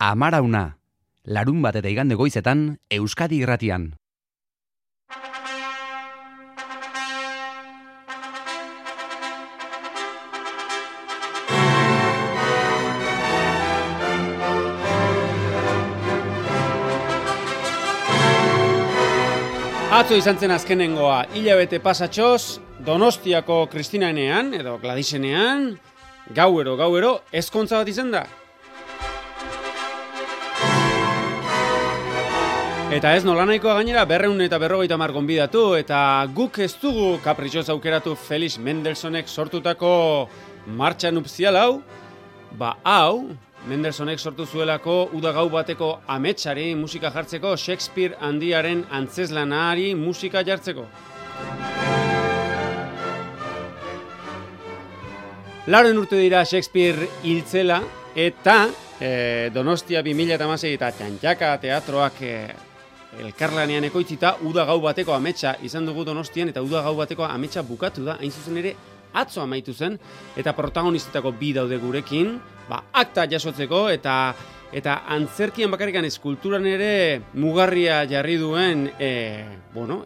Amarauna, larun bat eta igande goizetan, Euskadi Irratian. Atzo izan zen azkenengoa, hilabete pasatxoz, Donostiako Kristinaenean, edo Gladisenean, gauero, ezkontza bat izan da. Eta ez nolanahikoa gainera 250 gonbidatu, eta guk ez dugu kapritxoz aukeratu Felix Mendelssohnek sortutako martxa nupzial hau, hau, Mendelssohnek sortu zuelako uda gau bateko ametsari musika jartzeko, Shakespeare handiaren antzezlanari musika jartzeko. Lauren urte dira Shakespeare hiltzela, eta Donostia 2016 eta Txantxaka teatroak elkarlanean ekoitzita uda gau bateko ametsa izan dugu Donostian, eta uda gau bateko ametsa bukatu da, hain zuzen ere atzo amaitu zen, eta protagonistetako bi daude gurekin, akta jasotzeko, eta antzerkian bakarrikan eskulturan ere mugarria jarri duen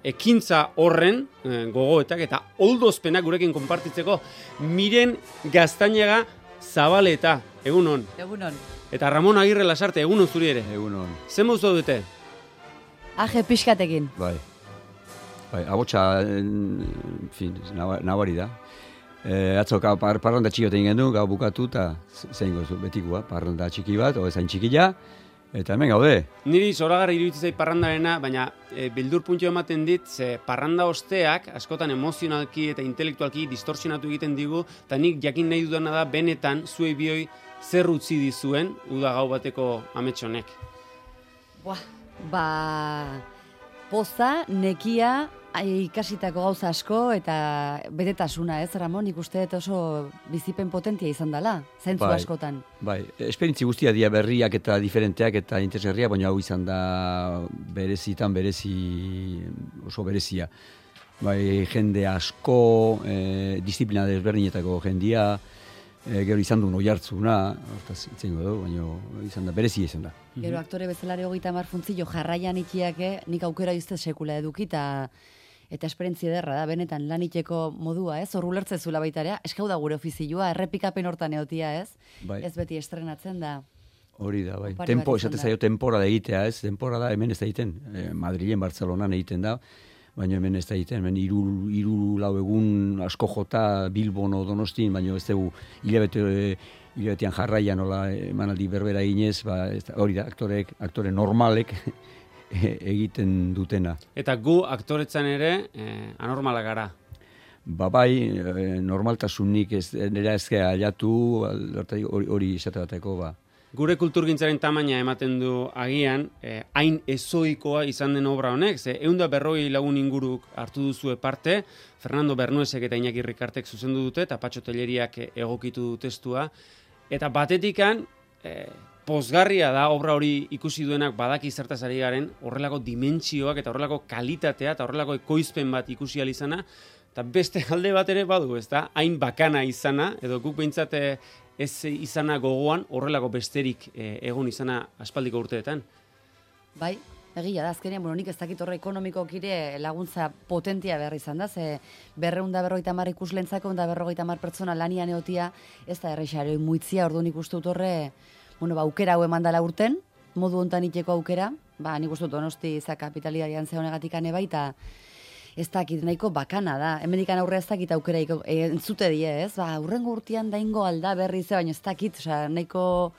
ekintza horren gogoetak eta oldozpenak gurekin konpartitzeko Miren Gaztañaga Zabaleta, egunon. Egunon. Eta Ramon Agirre Lasarte, egunon zuri ere. Egunon. Zer mozu dute? Aje pixkatekin. Bai, abotsa, nabari da. Atzo parranda txiki bat egin gendu, gau bukatu, eta zein gozu, betikoa, parranda txiki bat, zain txikila, eta hemen gaude. Niri zoragarri iruditzen zait parrandarena, baina bildur puntxo ematen dit, ze parranda osteak askotan emozionalki eta intelektualki distorsionatu egiten digu, eta nik jakin nahi dudana da, benetan, zuei bioi zer utzi dizuen, uda gau bateko ametsonek. Poza, nekia, ikasitako gauza asko eta betetasuna, ez, Ramon? Nik uste oso bizipen potentia izan dela, zentzu askotan. Bai, esperientzi guztia dira berriak eta diferenteak eta interesgarriak, baina hau izan da oso berezia. Bai, jende asko, disiplina desberdinetako jendia, gero izan duen oihartzuna, hortaz itzengo du, baina izan da, berezia izan da. Gero aktore bezalare 30 funtzio jarraian itiake, nik aukera izte sekula eduki, eta esperientzia ederra da, benetan lan iteko modua, ez? Hor ulertzezula baita ere, eskau da gure ofizioa, errepikapen hortan egotia, ez? Bai. Ez beti estrenatzen da. Hori da, bai. Esate zaio temporada egitea, ez? Temporada hemen ez da egiten, Madrilen, Bartzelonan egiten da, baina hemen ez da egiten, hemen hiru lau egun asko jota Bilbon o Donostin, baina ez dugu hilabetean jarraian nola emanaldi berbera eginez, hori da, aktore normalek egiten dutena. Eta gu aktoretzan ere anormala gara. Bai, normaltasunik nera ezkea aliatu, hori esate bateko, Gure kulturgintzaren tamaina ematen du agian, hain ezoikoa izan den obra honek, ze 150 lagun inguruk hartu duzue parte, Fernando Bernuesek eta Iñaki Rikartek zuzendu dute, eta Patxo Telleriak egokitu du testua, eta batetikan, pozgarria da obra hori ikusi duenak badaki zertaz ari garen, horrelako dimentsioak eta horrelako kalitatea eta horrelako ekoizpen bat ikusi ahal izana, eta beste alde bat ere badu, ez da, hain bakana izana, edo guk behintzat ez izana gogoan, horrelako besterik egon izana aspaldiko urteetan. Bai, egia da, azkenean, nik ez dakit horre ekonomikokire laguntza potentia behar izan da, ze 250 ikuslentzako, 250 pertsona lanian egotia, ez da errexaroi muitzia, ordu nik uste dut horre, aukera hau emandala urten, modu hontan iteko aukera, nik uste dut Donosti kapitalidarian zehonegatik ane baita, ez dakit, nahiko bakana da. Hemendikan aurre ez dakit aukera entzute die, ez? Urrengo urtean daingo alda berri ze, baina ez dakit, nahiko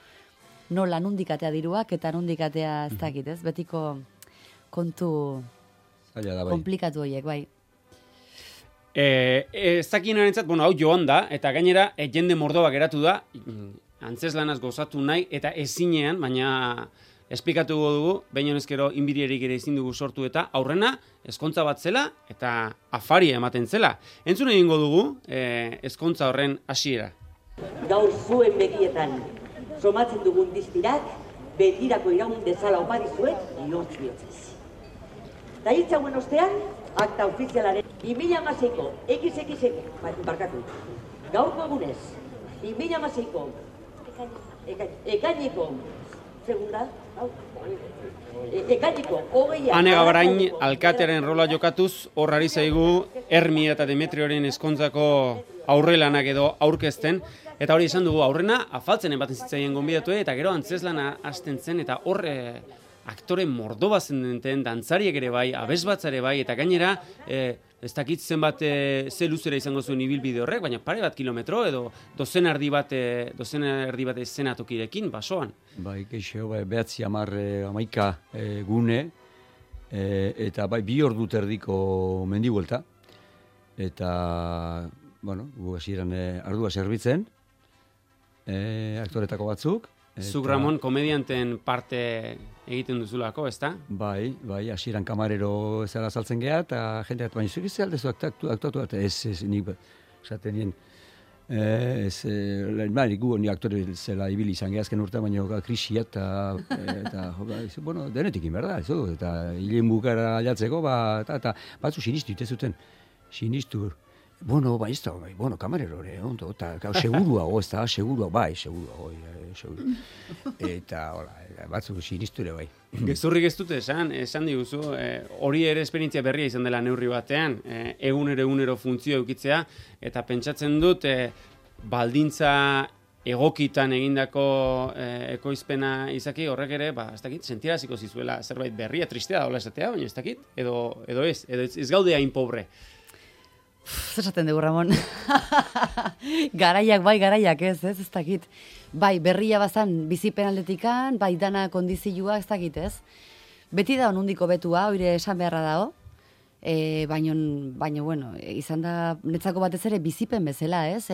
nola nundikatea diruak eta nundikatea ez dakit, ez? Betiko kontu komplikatu horiek, bai. Ez dakinaren hau joan da, eta gainera jende mordoa geratu da, antzeslanaz gozatu nahi, eta ezinean, baina esplikatu dugu, behin honezkero inbirierik ere ezin dugu sortu eta aurrena ezkontza bat zela eta afaria ematen zela. Entzun egingo dugu ezkontza horren hasiera. Gaur zuen begietan somatzen dugun diztirak betirako iraun dezala oparizuet lortz bihotzez. Da hitzauen ostean, akta ofizialaren 2016ko gaurko egunez, 2016ko ekaineko Segunda, hau. Ekainiko, 20. Ane Gabarain alkatearen rola jokatuz, horrari zaigu Hermia eta Demetrioren ezkontzako aurrelanak edo aurkezten, eta hori esan dugu aurrena, afaltzen ematen zitzaien gonbidatu, eta gero antzeslana hasten zen, eta hor aktore mordoba zendenten, dantzariek ere bai, abesbatzare bai, eta gainera, ez dakit zenbat ze luzera izango zuen ibilbide horrek, baina pare bat kilometro edo dozen erdi bat eszenatokirekin, basoan. Bai, keixo, behatzi 11 gune, eta bai, 2 ordu erdiko mendibuelta, eta, bueno, gu hasieran ardua zerbitzen, aktoretako batzuk. Zuk, Ramon, komedianten parte egiten duzulako, ezta? Bai, hasieran kamarero zara saltzen geha, eta jendeak, baina zuk izan aldezu aktuatu bat, ez, nik, esaten nien, gu ni aktore zela ibili izan gehazken urte, baina krisia eta bueno, denetik inberda, eta hilen bukara aldatzeko, eta batzu sinistu ite zuten, sinistu, bueno, kamarero ere, ondo, eta segurua, segurua, eta, hola, batzuk sinistu ere, bai. Gezurrik ez dute esan diguzu, hori ere esperientzia berria izan dela neurri batean, egunero funtzio eukitzea, eta pentsatzen dut, baldintza egokitan egindako ekoizpena izaki horrek ere, ez dakit, sentiaraziko zizuela zerbait berria, tristea da hola esatea, baina ez dakit, edo ez gaude hain pobre. Esaten dugu, Ramon. Garaiak ez dakit. Bai, berria bazan bizipen aldetikan, bai dana kondizioa ez dakit ez. Beti da onundiko betua, oire esan beharra dago. Baina, bueno, izan da netzako batez ere bizipen bezala, ez?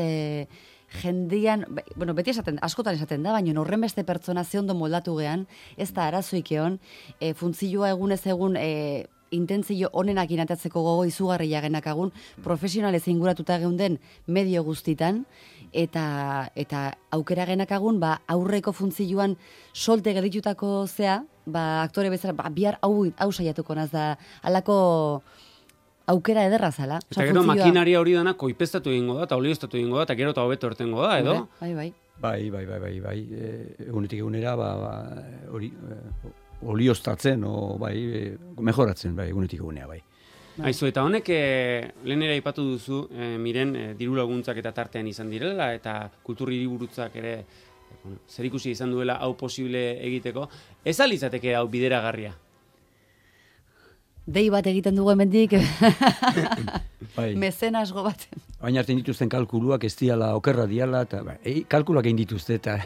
Jendian, bueno, beti askotan esaten da, baina horren beste pertsona ze ondo moldatu gean, ez da arazoik egon, funtzioa egunez egun intentzio honenak inatatzeko gogo izugarria genakagun, profesionalez inguratuta geunden medio guztitan, eta aukera genakagun, aurreko funtzioan solte geritutako zea, aktore bezala, bihar hau saiatuko naz da, alako aukera ederra zala. Eta gero makinaria hori dana koipestatu egingo da, eta olioztatu egingo da, eta gero eta hobeto ortengo da, edo? Bai. Egunetik egunera, hori... olioztatzen, mejoratzen, egunetik egunea, bai. Aizu, eta honek, lehenera ipatu duzu, miren, diru laguntzak eta tartean izan direla, eta kultur hiriburutzak ere, zerikusi izan duela hau posible egiteko, ez alizateke hau bideragarria? Dei bat egiten dugu hemendik, mezenasgo bat. Baina hartzen dituzten kalkuluak ez diala, okerra diala, eta kalkuluak egin dituzte, eta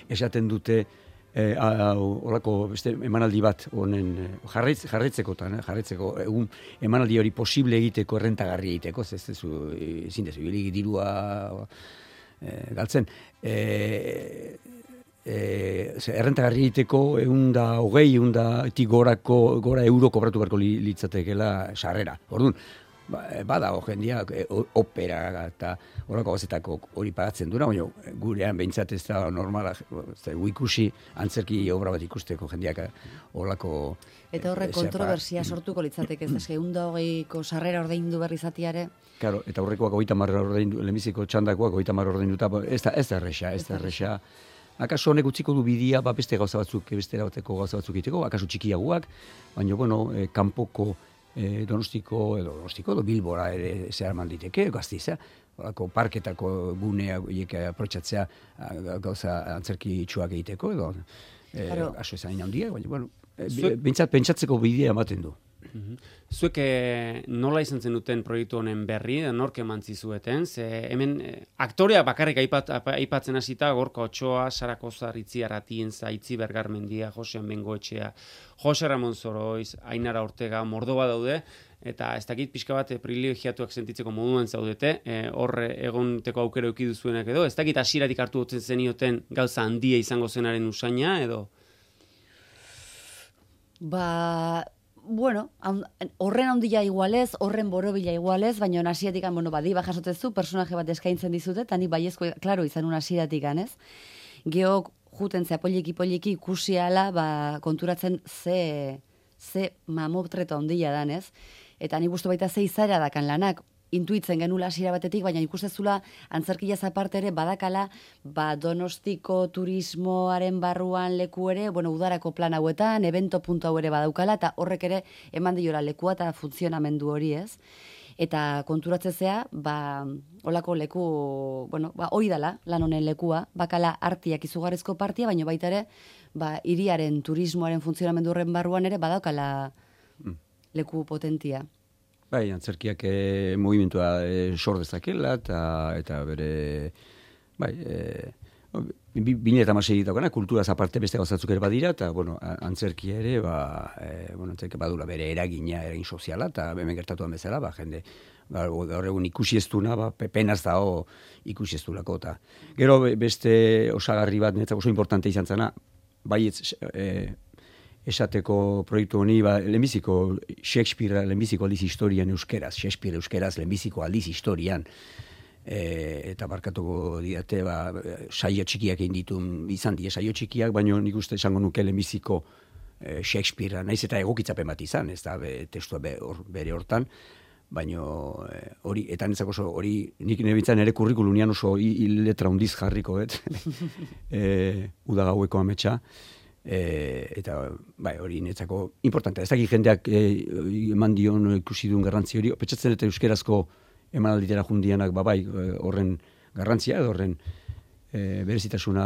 esaten dute, horako beste emanaldi bat honen jarraitzeko egun emanaldi hori posible egiteko, errentagarri egiteko, ezin dezu dirua galtzen. Errentagarri egiteko 120 gora euro kobratu beharko litzatekela sarrera. Orduan, bada jendia opera eta horako gazetako hori pagatzen dura, baina gurean behintzat ez da normala, ikusi antzerki obra bat ikusteko jendiak horako... Eta horrek kontroversia sortuko litzateke, ez 120ko sarrera ordaindu berri zatiare? Claro, eta horrekoak 30 ordaindu, lehenbiziko txandakoak 30 ordainduta, ez da erresa. Akaso honek utziko du bidia, beste gauza batzuk, beste erabateko gauza batzuk egiteko, akaso txikiagoak, baina, bueno, kanpoko Donostiko edo Bilbora ere zehar malditeke, Gasteiza, parketako gunea aprotxatzea gauza antzerki itxuak egiteko, edo aso ezan handia, baina, bueno, pentsatzeko bidea ematen du. Zuek nola izan zen duten proiektu honen berri, nork eman zizueten, hemen aktorea bakarrik aipatzen hasita, Gorka Otxoa, Sara Kozar, Itzi Arratienza, Itzi Bergarmendia, Josean Bengoetxea, Jose Ramon Zoroiz, Ainara Ortega, Mordoba daude, eta ez dakit pixka bat privilegiatuak sentitzeko moduan zaudete, hor egonteko aukera eduki duzuenak edo, ez dakit hasieratik hartu dutzen zenioten gauza handia izango zenaren usaina, edo? Bueno, horren handia igualez, horren borobila igualez, baina hasieratik diba jasotezu, personaje bat eskaintzen dizute, eta ni baiezko, klaro, izan hasieratik ez? Geok juten zea poliki ikusi ala, konturatzen ze mamotreto handia dan, ez? Eta ni gustu baita ze izara dakan lanak, intuitzen genula hasiera batetik, baina ikustezula antzerkiaz aparte ere badakala Donostiko turismoaren barruan leku ere, udarako plan hauetan, evento puntu hau ere badaukala, eta horrek ere eman diola lekua eta funtzionamendu hori, ez? Eta konturatzezea, olako leku, hoi dala, lan honen lekua, bakala artiak izugarrizko partia, baina baita ere, hiriaren turismoaren funtzionamendu horren barruan ere badaukala leku potentia. Bai, antzerkiak movimentua sor dezakela, eta bere, bai, 2016 daukana, kulturaz aparte beste gauzatzuk ere badira, eta, antzerkia ere, antzerkia badula bere eragin soziala, eta hemen gertatuan bezala, jende, gaur egun ikusi ez duna, penaz dago ikusi ez dulako, eta gero beste osagarri bat, netzako oso importante izan zena, bai, esateko proiektu honi, lehenbiziko Shakespeare lehenbiziko aldiz historian euskeraz, Shakespeare euskeraz lehenbiziko aldiz historian, eta barkatuko didate, saio txikiak egin ditu, izan dira saio txikiak, baina nik uste esango nuke lehenbiziko Shakespearea, naiz eta egokitzapen bat izan, ez da testua bere hortan, baina hori, eta netzako oso, hori nik nebitzen ere kurrikulunian oso letra hundiz jarriko, udagaueko ametsa, eta hori netzako importantea. Ez dakit jendeak eman dion ikusi duen garrantzi hori, petxatzen eta euskerazko emanalditera jundianak horren garrantzia, horren berezitasuna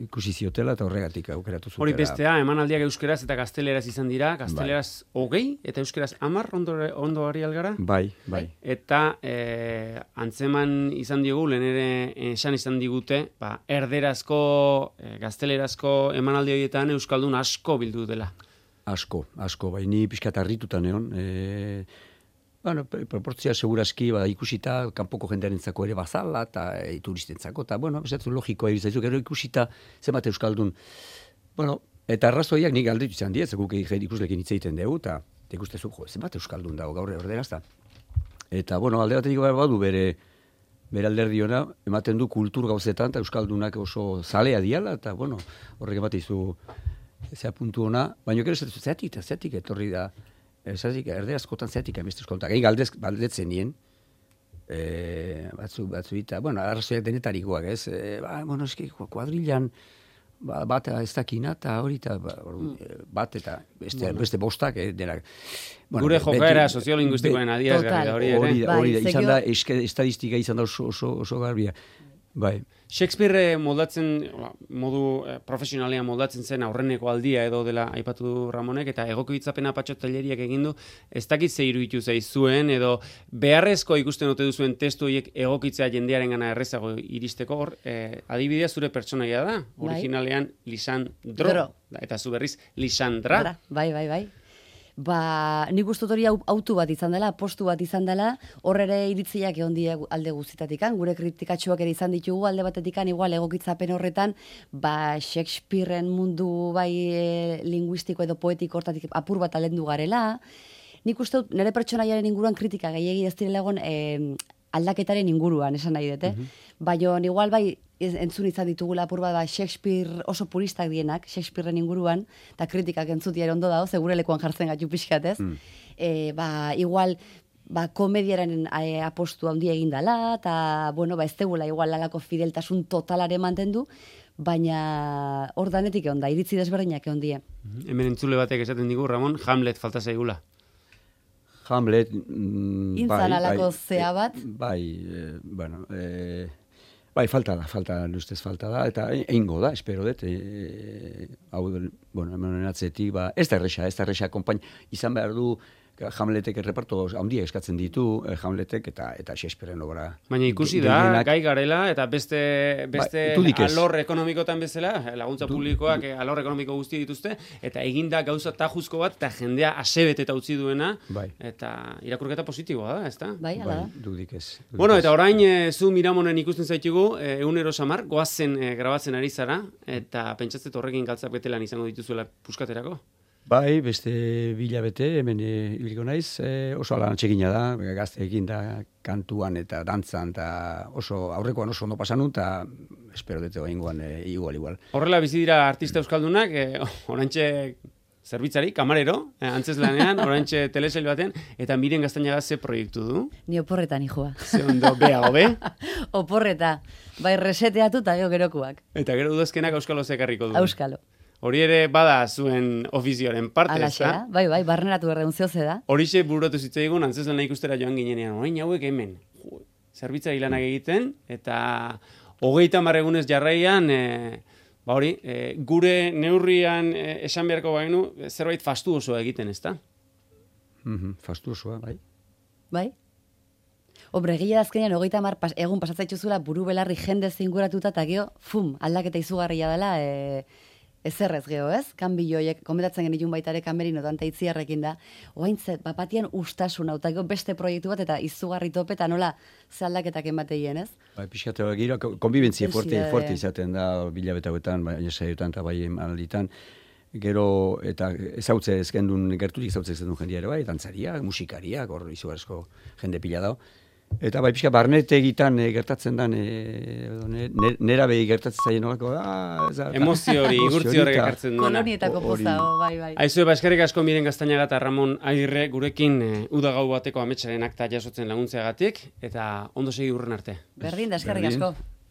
ikusi ziotela eta horregatik aukeratu zutela. Hori bestea, emanaldiak euskeraz eta gazteleraz izan dira, gazteleraz 20 eta euskeraz 10 ondo ari algara? Bai. Eta antzeman izan diogu, lehen ere esan izan digute, erderazko, gaztelerazko emanaldi horietan euskaldun asko bildu dela. Asko, bai, ni pixkat harrituta neon, proportzia seguraski ikusita kanpoko jendearentzako ere bazala eta turistentzako, eta bestatzu logikoa irizaizu, gero ikusita zenbat euskaldun. Eta arrazoiak nik galdetu izan diet, guk ikuslekin hitz egiten dugu, eta ikustezu, zenbat euskaldun dago gaur erderazta. Eta, alde batetik badu bere alderdiona, ematen du kultur gauzetan, eta euskaldunak oso zalea diala, eta, horrek ematizu zea puntu ona, baina gero zeatik etorri da, erderazkotan zeatik amizte euskaldunak. Egi galdetzen nien, batzu eta, arrazoiak denetarikoak, ez? Eski, kuadrilan, bat ez dakina, eta hori, bat eta beste bostak, denak. Gure jokaera soziolinguistikoen adierazgarria hori. Hori, izan da, estadistika izan da oso garbia. Bai. Shakespeare moldatzen, modu profesionalean moldatzen zen aurreneko aldia edo dela aipatu du Ramonek, eta egokitzapena Patxo Telleriak egin du, ez dakit ze iruditu zaizuen, edo beharrezko ikusten ote duzuen testu horiek egokitzea jendearen gana errezago iristeko, adibidea zure pertsonaia da, originalean Lisandro, eta zu berriz Lisandra. Bai. Nik uste hori autu bat izan dela, postu bat izan dela, horre ere iritziak egon die alde guztitatikan, gure kritikatxoak ere izan ditugu alde batetikan, igual egokitzapen horretan, Shakespearen mundu linguistiko edo poetiko hortatik apur bat alendu garela. Nik uste dut, nire pertsonaiaren inguruan kritika gehiegi ez direla egon aldaketaren inguruan, esan nahi dut, Baina igual entzun izan ditugula apur bat Shakespeare oso puristak dienak, Shakespearen inguruan, eta kritikak entzutia ondo dago, segure lekuan jartzen gaitu pixkat, ez? Igual, komediaren apostu handia egin dela, eta, ez tegula igual lalako fideltasun totalare mantendu, baina hor danetik egon da, iritzi desberdinak egon die. Hemen entzule batek esaten digu, Ramon, Hamlet falta zaigula. Hamlet, intzan alako zea bat? Bai, falta da, eta eingo da, espero dut, hau, hemen atzetik, ez da erresa, konpain, izan behar du, Hamletek erreparto handia eskatzen ditu, Hamletek eta Shakespearen obra. Baina ikusi da, gai garela, eta beste alor ekonomikotan bezala, laguntza publikoak alor ekonomiko guzti dituzte, eta eginda gauza tajuzko bat, eta jendea asebet eta utzi duena, eta irakurketa positiboa da, ez da? Bai, ala da. Dudik ez. Eta orain, zu Miramonen ikusten zaitugu, egunero samar, goazen grabatzen ari zara, eta pentsatzet horrekin galtzak betelan izango dituzuela puskaterako? Bai, beste bilabete, hemen ibiliko naiz, oso lan txekina da, gazteekin da kantuan eta dantzan, eta aurrekoan oso ondo pasan eta espero dute oingoan igual. Horrela bizi dira artista euskaldunak, orantxe zerbitzari, kamarero, antzeslanean, oraintxe telesail baten, eta Miren Gaztañaga ze proiektu du? Ni oporreta nijoa. Ze ondo, beago, be? Oporreta, bai reseteatu eta gerokuak. Eta gero udazkenak Auskalo zekarriko du. Auskalo. Hori ere bada zuen ofizioaren parte, Alaxe da, bai, barneratu erreun zehoze da. Horixe bururatu zitzaigun, antzeslana ikustera joan ginenean, orain hauek hemen, zerbitzari lanak egiten, eta 30 egunez jarraian, gure neurrian esan beharko bainu, zerbait fastuosoa egiten, ezta? Fastuosoa, bai. Bai? Hombre, egia azkenean 30 egun pasatzaituzula buru belarri jende zinguratuta, eta geho, aldaketa izugarria dela, ezerrez geho, ez? Kanbilloiek, komentatzen genitun baita ere kamerinotan eta itziarrekin da. Oaintzet, bapatian ustasuna, eta beste proiektu bat, eta izugarri tope, eta nola ze aldaketak emateien, ez? Bai, pixkatu, gira, konbibentzia fuerte izaten da, bilabetauetan, bai, saiotan, eta bai emanalditan. Gero, eta ezautze ezkendun, gerturik ezautze ezkendun jendia ere bai, dantzariak, musikariak, hor izugarrizko jende pila dao. Eta bai pixka barnete egitan gertatzen dan, nera behi gertatzen zaien olako, emozio hori, igurtzi horrek ekartzen duena. Kolonietako poza, bai. Aizu, eskerrik asko Miren Gaztañaga eta Ramon Agirre gurekin uda gau bateko ametsaren akta jasotzen laguntzeagatik, eta ondo segi urren arte. Berdin da, eskerrik asko.